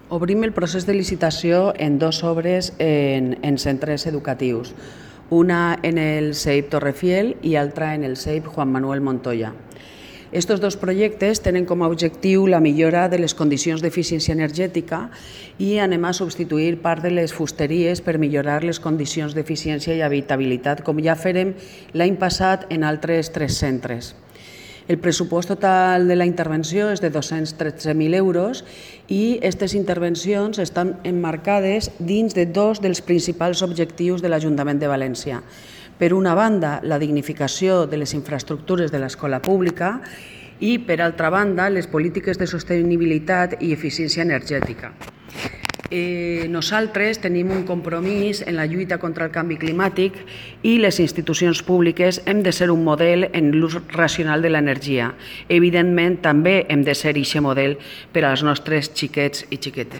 Obrim el procés de licitació en dues obres en centres educatius, una en el CEIP Torrefiel i altra en el CEIP Juan Manuel Montoya. Estos dos projectes tenen com a objectiu la millora de les condicions d'eficiència energètica i anem a substituir part de les fusteries per millorar les condicions d'eficiència i habitabilitat, com ja farem l'any passat en altres 3 centres. El pressupost total de la intervenció és de 213.000 euros i aquestes intervencions estan emmarcades dins de dos dels principals objectius de l'Ajuntament de València. Per una banda, la dignificació de les infraestructures de l'escola pública i, per altra banda, les polítiques de sostenibilitat i eficiència energètica. Nosaltres tenim un compromís en la lluita contra el canvi climàtic i les institucions públiques hem de ser un model en l'ús racional de l'energia. Evidentment, també hem de ser aquest model per als nostres xiquets i xiquetes.